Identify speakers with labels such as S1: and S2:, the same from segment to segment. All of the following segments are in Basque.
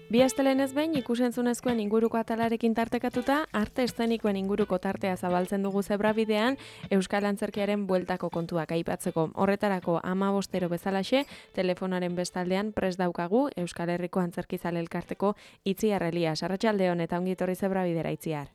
S1: Bi astelenez behin ikusentzunezkoen inguruko atalarekin tartekatuta, arte eszenikoen inguruko tartea zabaltzen dugu zebrabidean Euskal Antzerkiaren bueltako kontuak aipatzeko. Horretarako 15 bezalaxe, telefonaren bestaldean prest daukagu Euskal Herriko Antzerkizale Elkarteko Itziar Elias. Arratsaldeon eta ongi etorri zebradera Itziar.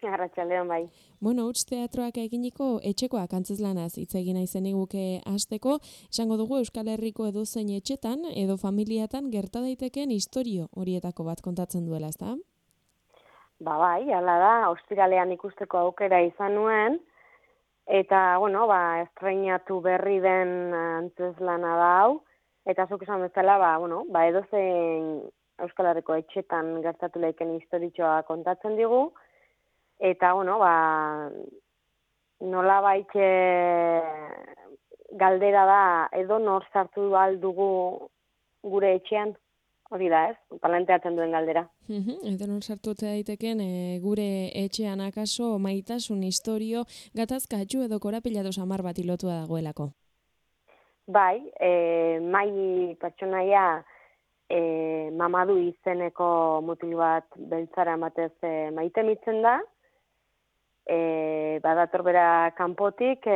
S2: Arratsaldeon bai.
S1: Bueno, huts teatroak eginiko etxekoak antzezlanaz hitz egin naizen iguke hasteko, esango dugu Euskal Herriko edozein etxetan edo familiatan gerta daitekeen istorio horietako bat kontatzen duela, ezta?
S2: Bai, hala da, ostiralean ikusteko aukera izan nuen, eta, estreinatu berri den antzezlana da hau, eta zuk esan bezala, edozein Euskal Herriko etxetan gertatu leiken historitxoa kontatzen digu, eta, nolabait galdera da, edo nor sartu dugu gure etxean, hori da ez, planteatzen duen galdera.
S1: Edo nor sartu daiteken gure etxean akaso maitasun istorio gatazkatxu edo korapilatu samar bat ilotua dagoelako.
S2: Bai, mai pertsonaia Mamadu izeneko mutil bat beltzara ematez maite mitzen da, badator bera kanpotik,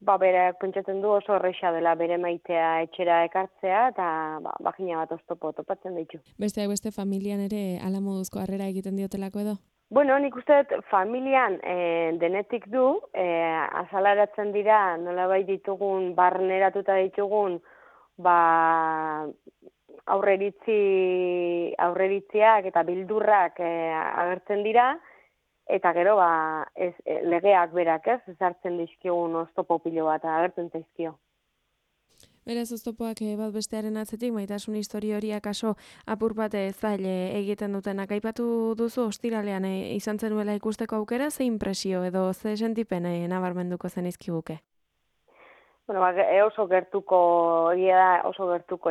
S2: berak pentsatzen du oso horreixa dela bere maitea etxera ekartzea, eta bagina bat oztopo topatzen ditu.
S1: Besteak beste familian ere ala moduzko harrera egiten diotelako edo?
S2: Bueno, nik uste dut familian denetik du, azalaratzen dira nolabait ditugun, barneratuta ditugun, aurreritziak eta bildurrak agertzen dira, eta gero legeak berak ezartzen dizkigun oztopo pilo bat agertzen zaizkio.
S1: Beraz, oztopoak bat bestearen atzetik, maitasun historio hori akaso apur bat zaile egiten dutenak. Aipatu duzu ostiralean izan zenuela ikusteko aukera, ze impresio edo ze sentipen nabarmenduko zen izkiguke?
S2: Oso gertuko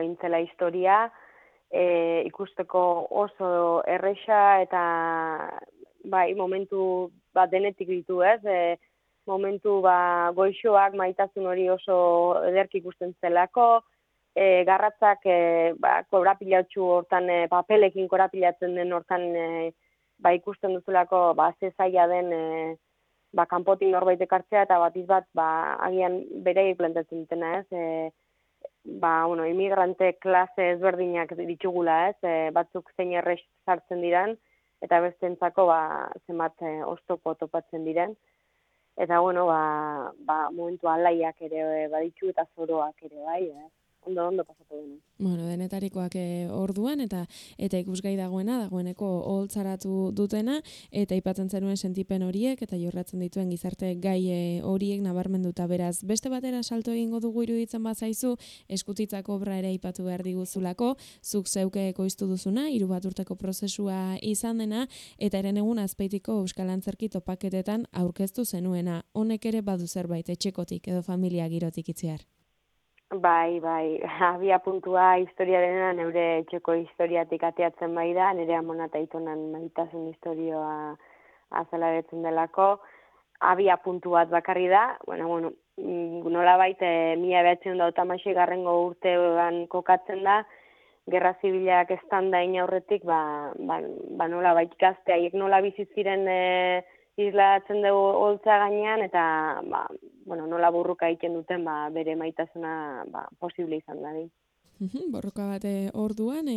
S2: intzela historia, ikusteko oso erresa eta momentu denetik ditu momentu goixoak maitasun hori oso ederki ikusten zelako, garratzak korapilatxu hortan, papelekin korapilatzen den hortan ikusten duzulako ze zaila den kanpotik norbait ekartzea eta bat agian berei plantatzen dutena imigrante klase ezberdinak ditugula batzuk zein errex sartzen diran eta bestentzako zenbat oztopo topatzen diren. Eta, momentu alaiak ere baditu eta zoroak ere, bai, ondo pasatu dena.
S1: Denetarikoak orduan eta ikusgai dagoeneko oholtzaratu dutena, eta aipatzen zenuen sentipen horiek eta jorratzen dituen gizarte gai horiek nabarmenduta beraz. Beste batera salto egingo dugu iruditzen bazaizu, eskutitzako obra ere aipatu behar diguzulako, zuk zeuke ekoiztu duzuna, 3 bat urteko prozesua izan dena, eta Herenegun Azpeitiko Euskal Antzerki topaketetan aurkeztu zenuena. Honek ere badu zerbait etxekotik edo familia girotik Itziar.
S2: Bai, abia puntua historiarena neure etxeko historiatik ateatzen bai da, nire amona eta aitonan maitasun historioa azalaretzen delako. Abia puntu bat bakarri da, nolabait 1986 urtean kokatzen da, Gerra Zibilak estanda inaurretik, nolabait gazte haiek nola bizi ziren islatzen dugu holtza gainean, eta nola burruka egiten duten bere maitasuna posible izan da.
S1: Borroka bat orduan,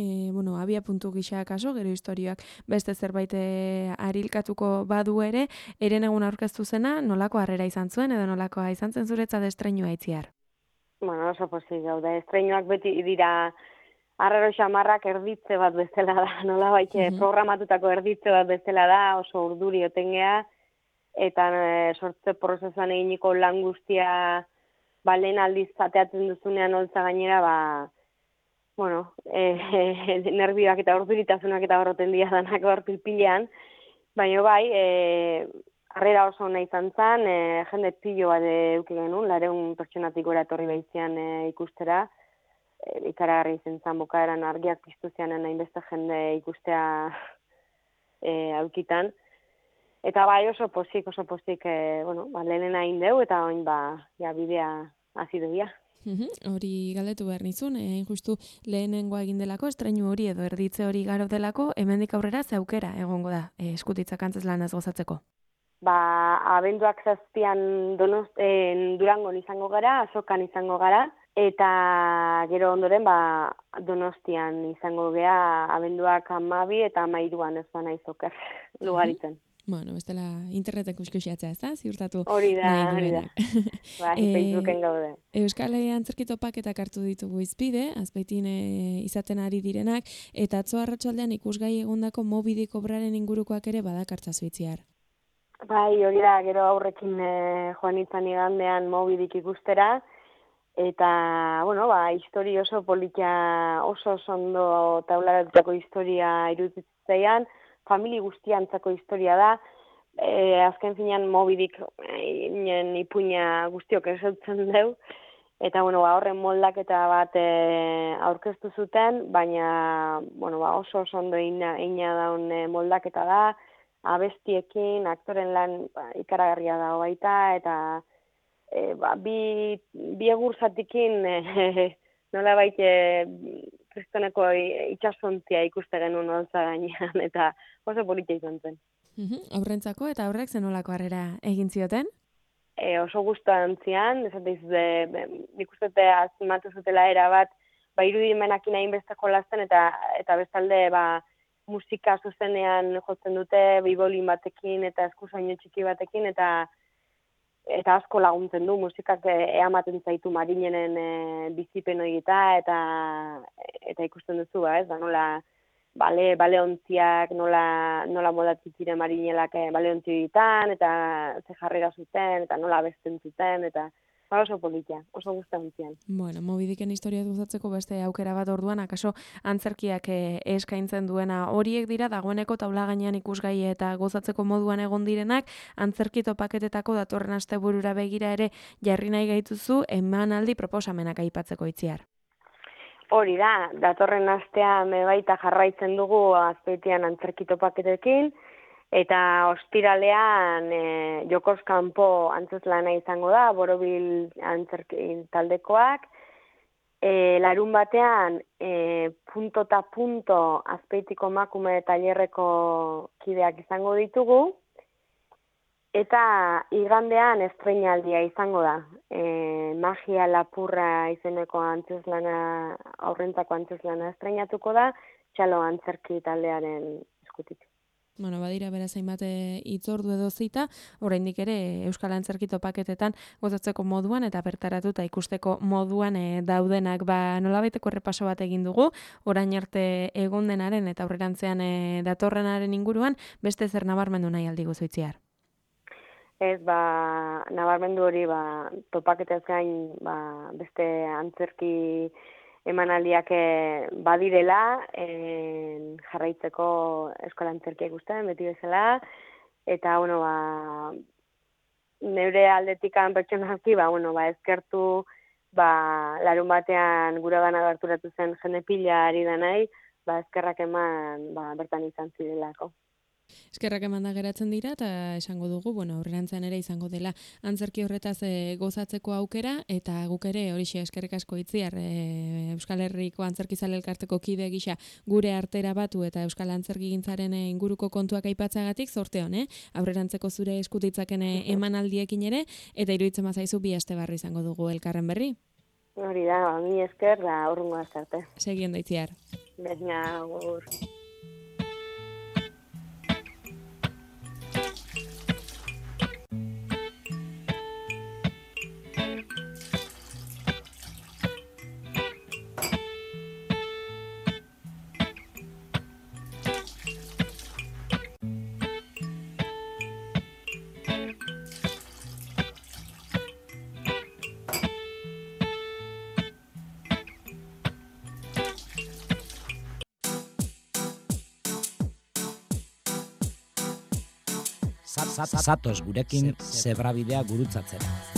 S1: abia puntu gisa kaso, gero historioak beste zerbait arilkatuko badu ere, Herenegun aurkeztu zena, nolako harrera izan zuen, edo nolakoa izan zen zuretzat estreinua Itziar?
S2: Oso pozik gaude, estreinuak beti dira arraro xamarrak erditze bat bezala da, nolabait programatutako erditze bat bezala da, oso urduri otengea, eta sortze prozesuan eginiko lan guztia lehen aldiz zateatzen duzunean holtza gainera, nervioak eta urduritasunak eta horroten dira danak hor pilpilean, baina harrera oso ona izan zen, jende pilo bat eduki genuen, 200 pertsonatik gora etorri behizian ikustera, ikaragarri izan zen bukaeran argiak piztu zianen hainbeste jende ikustea aukitan. Eta oso pozik, lehenen hain deu, eta oin bidea hasi dugia.
S1: Hori galdetu behar nizun, justu lehenengoa egin delako, estreinu hori edo erditze hori garo delako, hemendik aurrera ze aukera egongo da eskutitzak antzezlanaz gozatzeko.
S2: Abenduak 7an Durangon izango gara, Azokan izango gara, eta gero ondoren Donostian izango gea abenduak 12 eta 13an ez naiz oker lugaritzen.
S1: Bueno, bestela interneten kuskusiatzea, ez da? Ziurtatu.
S2: Hori da. Facebooken gaude.
S1: Euskal Antzerki Topaketak hartu ditugu izpide, Azpeitin izaten ari direnak, eta atzo arratsaldean ikusgai egondako Moby Dick obraren ingurukoak ere badakartzazu itziar.
S2: Bai, hori da, gero aurrekin joan izan igandean Moby Dick ikustera, eta, historia oso politia, oso ondo taularatutako historia iruditzaian, famili guztiantzako historia da, azken finean Moby Dick ipuina guztiok esautzen deu, eta horren moldaketa bat aurkeztu zuten, baina oso ondo eina daun moldaketa da, abestiekin, aktoren lan ikaragarria dago baita, eta bi egurzatikin nola baite kristoneko itxasontzia ikuste genuen olza gainean, eta oso politia izan zen.
S1: Aurrentzako eta aurrek zenolako harrera egin zioten?
S2: Oso guztuan zian, ikustete azimatu zutela erabat, irudimenakin hainbesteko lasten, eta bestalde musika zuzenean jotzen dute, bibolin batekin eta eskusoinu txiki batekin, eta asko laguntzen du, musikak eamaten zaitu marinenen bizipen horieta, eta ikusten duzu, nola baleontziak, nola modatzen ziren marinelak baleontzi horietan, eta ze jarrera zuten, eta nola abesten zuten, eta oso politia, oso guztan zian.
S1: Bueno, Moby Dicken historia gozatzeko beste aukera bat orduan, akaso antzerkiak eskaintzen duena horiek dira, dagoeneko taula gainean ikusgai eta gozatzeko moduan egon direnak, antzerki topaketetako datorren asteburura begira ere jarri nahi gaituzu, emanaldi proposamenak aipatzeko itziar.
S2: Hori da, datorren astean baita jarraitzen dugu Azpeitian antzerki topaketekin, eta ostiralean Jokoz kanpo antzezlana izango da, Borobil antzerki taldekoak. Larun batean, punto eta punto Azpeitiko emakume tailerreko kideak izango ditugu, eta igandean estreinaldia izango da. Magia lapurra izeneko antzezlana, aurrentako antzezlana estreinatuko da, Txalo antzerki taldearen eskutik.
S1: Bueno, badira beraz hainbat hitzordu edo zita, oraindik ere Euskal Antzerki Topaketetan gozatzeko moduan eta bertaratuta ikusteko moduan daudenak, nolabaiteko errepaso bat egin dugu, orain arte egon denaren eta aurrerantzean datorrenaren inguruan, beste zer nabarmendu nahi aldi guzuitziar?
S2: Ez, nabarmendu hori, topaketez gain, beste antzerki emanaldiak badirela, jarraitzeko eskola antzerkia ikusten, beti bezala, eta, neure aldetikan pertsonalki, ezkertu, larun batean gure gana gerturatu zen jende pila ari da nahi, eskerrak eman, bertan izan zirelako.
S1: Eskerrak emanda geratzen dira eta esango dugu, aurrerantzean ere izango dela antzerki horretaz gozatzeko aukera, eta guk ere horixe eskerrik asko itziar Euskal Herriko Antzerkizale Elkarteko kide gisa gure artera batu eta Euskal Antzerkigintzaren inguruko kontuak aipatzagatik zorte hon, aurrerantzeko zure eskutitzaken emanaldiekin ere, eta iruditzen bazaizu bi aste barri izango dugu elkarren berri.
S2: Hori da, mi esker da urrungo azarte.
S1: Segien da itziar.
S2: Baina, gur.
S3: Zatoz gurekin zebrabidea gurutzatzera.